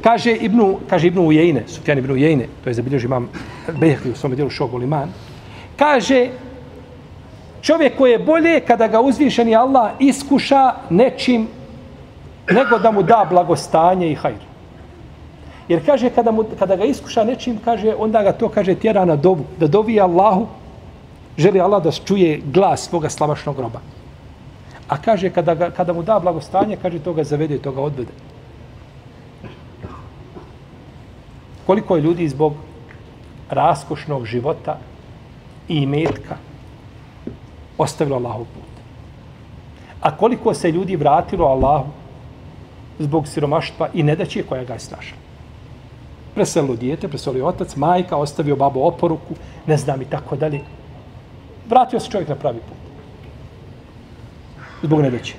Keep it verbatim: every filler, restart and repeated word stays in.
Kaže Ibnu, kaže Ibnu Ujejne, Sufjan Ibnu Ujejne, to je zabilježi imam Bejhaqi u svom djelu Šogul Iman, kaže čovjek koji je bolje kada ga uzvišeni Allah iskuša nečim nego da mu da blagostanje i hajr. Jer kaže kada, mu, kada ga iskuša nečim, kaže onda ga to kaže tjera na dovu, da dovi Allahu, želi Allah da čuje glas svoga slavašnog roba. A kaže kada, ga, kada mu da blagostanje, kaže to ga zavede, to ga odvede. Koliko je ljudi zbog raskošnog života i imetka ostavilo Allahov put. A koliko se ljudi vratilo Allahu zbog siromaštva i nedaće koja ga je snašla. Preselilo dijete, preselio otac, majka, ostavio babo oporuku, ne znam i tako dalje. Vratio se čovjek na pravi put. Zbog nedaće.